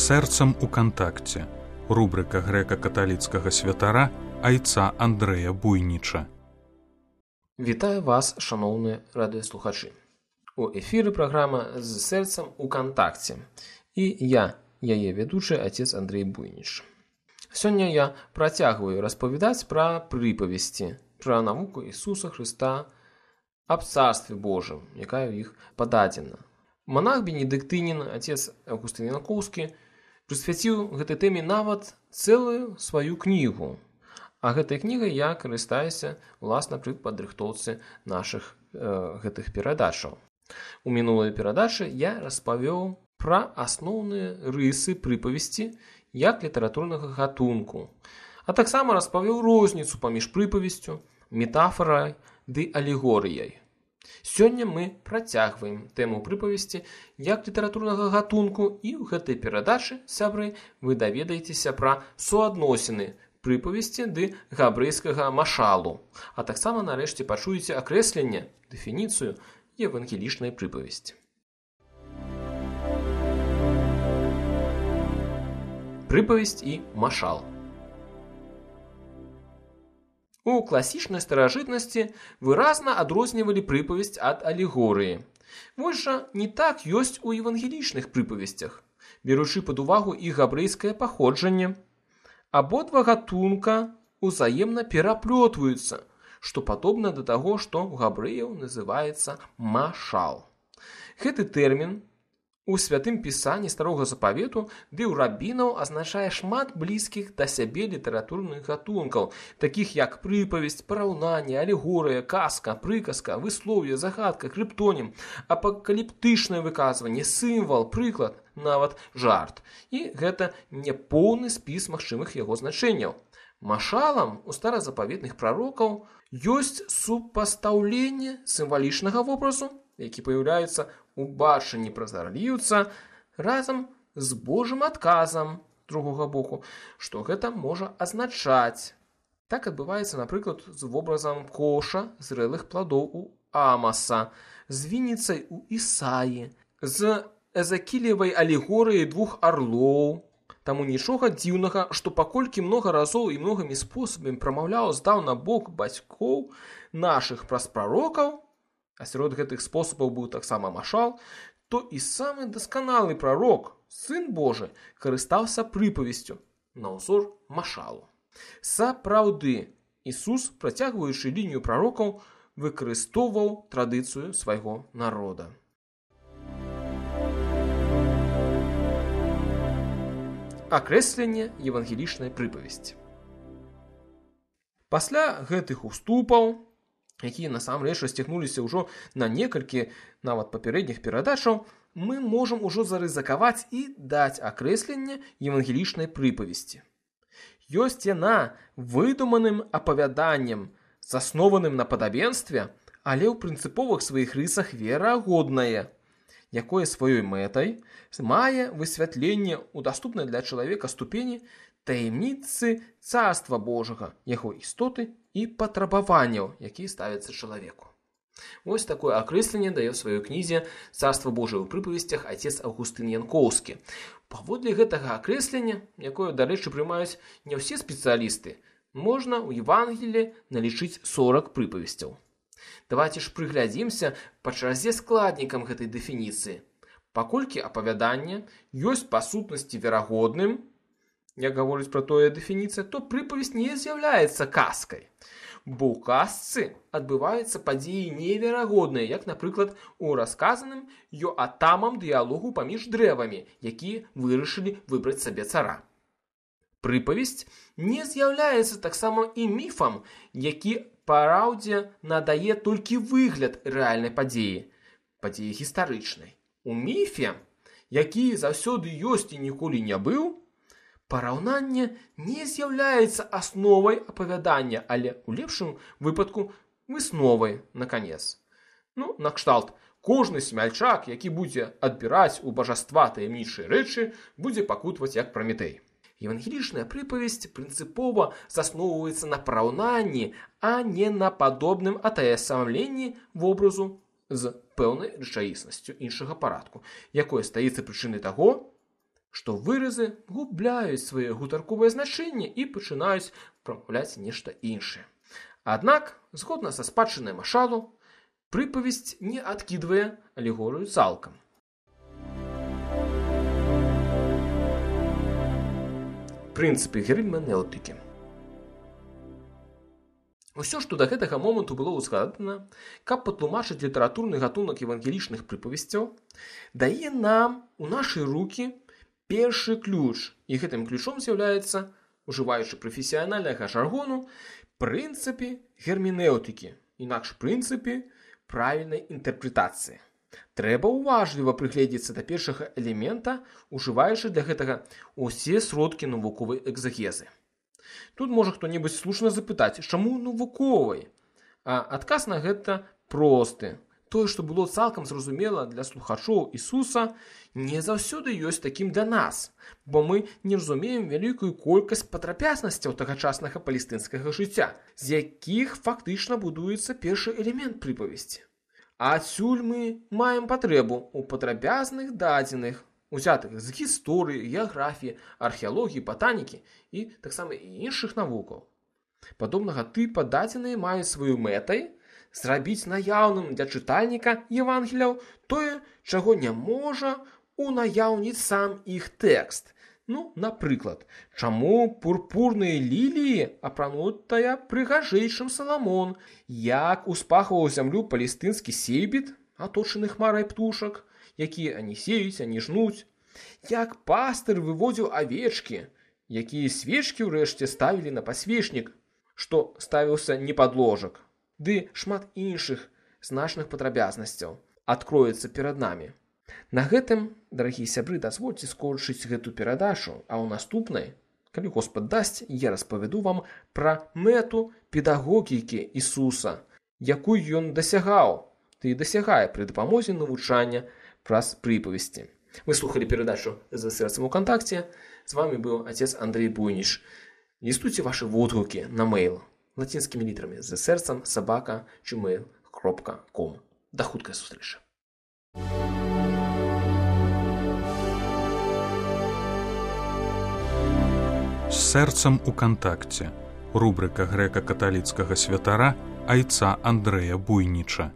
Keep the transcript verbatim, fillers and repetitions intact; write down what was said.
сэрцам у кантакце. Рубрика грэка-каталіцкага святара айца Андрэя Буйніча. Вітаю вас, шаноўныя радыёслухачы. У эфіры праграма «З сэрцам у кантакце». І я, яе ведучы, отец Андрей Буйніч. Сёння я працягваю распавядаць пра прыпавесці, пра навуку Ісуса Хрыста аб Царстве Божым, якая ў іх пададзена. Манах бенедыктынін, отец Августын Янкоўскі, прысвяціў гэтай тэме нават цэлую сваю кнігу. А гэтай кнігай я карыстаюся, уласна, пры падрыхтоўцы нашых э, гэтых перадачаў. У мінулай перадачы я распавёў пра асноўныя рысы прыпавесці як літаратурнага гатунку, а таксама распавёў розніцу паміж прыпавесцю, метафарай ды алегорыяй. Сёння мы працягваем тэму прыпавесці як літаратурнага гатунку, і ў гэтай перадачы, сябры, вы даведаецеся пра суадносіны прыпавесці ды габрэйскага машалу, а таксама нарэшце пачуеце акрэсленне, дэфініцыю евангелічнай прыпавесці. Прыпавесць і машал. У класічнай старажытнасці выразна адрознівалі прыпавесць ад алегорыі. Вось жа не так ёсць у евангелічных прыпавесцях, беручы пад увагу іх габрэйскае паходжанне. Абодва гатунка узаемна пераплётваюцца, што падобна да таго, што ў габрэяў называецца машал. Гэты тэрмін у святым пісанні Старога Запавету ды ў рабінаў азначае шмат блізкіх да сябе літаратурных гатункаў, такіх як прыпавесць, параўнанне, алегорыя, казка, прыказка, выслоўе, загадка, крыптонім, апакаліптычнае выказванне, сімвал, прыклад, нават жарт. І гэта не поўны спіс магчымых яго значэнняў. Машалам у старазапаветных прарокаў ёсць супастаўленне сімвалічнага вобразу, які паяўляецца ў бачанні празарліўца, разам з Божым адказам з другога боку, што гэта можа азначаць. Так адбываецца, напрыклад, з вобразам коша зрэлых пладоў у Амаса, з вініцай у Ісаі, з Эзакілевай алегорыяй двух арлоў. Таму нічога дзіўнага, што паколькі многа разоў і многімі спосабамі прамаўляў здаўна Бог бацькоў нашых праз прарокаў, а сярод гэтых спосабаў быў таксама машал, то і самы дасканалы прарок, Сын Божы, карыстаўся прыпавесцю на ўзор машалу. Сапраўды, Ісус, працягваючы лінію прарокаў, выкарыстоўваў традыцыю свайго народа. Акрэсленне евангелічнай прыпавесці. Пасля гэтых уступаў, якія насамрэч расцягнуліся ўжо на некалькі нават папярэдніх перадачаў, мы можам ужо зарызыкаваць і даць акрэсленне евангелічнай прыпавесці. Ёсць яна выдуманым апавяданнем, заснованым на падабенстве, але ў прынцыповых сваіх рысах верагоднае, якое сваёй мэтай мае высвятленне ў даступнай для чалавека ступені таямніцы Царства Божага, яго істоты і патрабаванняў, якія ставяцца чалавеку. Вось такое акрэсленне дае ў сваёй кнізе «Царства Божие ў прыпавесцях» отец Августын Янкоўскі. Паводле гэтага акрэслення, якое, дарэчы, прымаюць не ўсе спецыялісты, можна ў Евангеліі налічыць сорак прыпавесцяў. Давайте ж прыглядзімся па чарзе складнікам гэтай дэфініцыі. Паколькі апавяданне ёсць па сутнасці верагодным, як гаворыць пра тое дэфініцыя, то прыпавесць не з'яўляецца казкай. Бо ў казцы адбываюцца падзеі неверагодныя, як, напрыклад, у расказаным Йоатамам дыялогу паміж дрэвамі, якія вырашылі выбраць сабе цара. Прыпавесць не з'яўляецца таксама і міфам, які параўдзе надае толькі выгляд рэальнай падзеі, падзеі гістарычнай. У міфе, які заўсёды ёсць і ніколі не быў, параўнанне не з'яўляецца асновай апавядання, але ў лепшым выпадку высновай, наканец. Ну, накшталт, кожны смяльчак, які будзе адбіраць у бажаства таямнічыя рэчы, будзе пакутваць як Праметэй. Евангелічная прыпавесць прынцыпова засноўваецца на параўнанні, а не на падобным атаясамленні вобразу з пэўнай рэчаіснасцю іншага парадку, якое стаіцца прычынай таго, што выразы губляюць свае гутарковыя значэнні і пачынаюць прамаўляць нешта іншае. Аднак, згодна са спадчынай Машалу, прыпавесць не адкідвае алегорыю цалкам. Прынцыпы герменэўтыкі. Усё, што да гэтага моманту было ўзгадана, каб патлумачыць літаратурны гатунак евангелічных прыпавесцяў, дае нам у нашы рукі першы ключ, і гэтым ключом з'яўляецца, ужываючы прафесіянальнага жаргону, прынцыпы герменэўтыкі, інакш прынцыпы правільнай інтэрпрэтацыі. Трэба уважліва прыгледзецца да першага элемента, ужываючы для гэтага ўсе сродкі навуковай экзагезы. Тут можа хто-небудзь слушна запытаць, чаму навуковай? А адказ на гэта просты. Тое, што было цалкам зразумела для слухачоў Ісуса, не заўсёды ёсць такім для нас, бо мы не разумеем вялікую колькасць падрабязнасцяў тагачаснага палестынскага жыцця, з якіх фактычна будуецца першы элемент прыпавесці. Адсюль мы маем патрэбу ў падрабязных дадзеных, узятых з гісторыі, геаграфіі, археалогіі, батанікі і таксама і іншых навукаў. Падобнага тыпа дадзеныя маюць сваю мэтай зрабіць наяўным для чытальніка Евангеліяў тое, чаго не можа унаяўніць сам іх тэкст. Ну, напрыклад, чаму пурпурныя ліліі апранутая прыгажэйшым Саламон, як успахваў зямлю палестынскі сейбіт, аточаны хмарай птушак, якія ані сеюць, ані жнуць, як пастыр выводзіў авечкі, якія свечкі ўрэшце ставілі на пасвечнік, што ставіўся не пад ложак, ды шмат іншых значных падрабязнасцяў адкроецца перад намі. На гэтым, дарагія сябры, дазвольце скончыць гэту перадачу, а ў наступнай, калі Господ дасць, я распавяду вам пра мэту педагогікі Ісуса, якую ён дасягаў, ды і дасягае пры дапамозе навучання праз прыпавесці. Вы слухалі перадачу «За сэрцам у кантакце». З вами быў отец Андрей Буйніч. Лістуйце вашы водгукі на мейл лацінскімі літарамі «За сэрцам сабака джимейл кропка ком». Да хуткай сустрэчы. З сэрцам у кантакце. Рубрыка грэка-каталіцкага святара айца Андрэя Буйніча.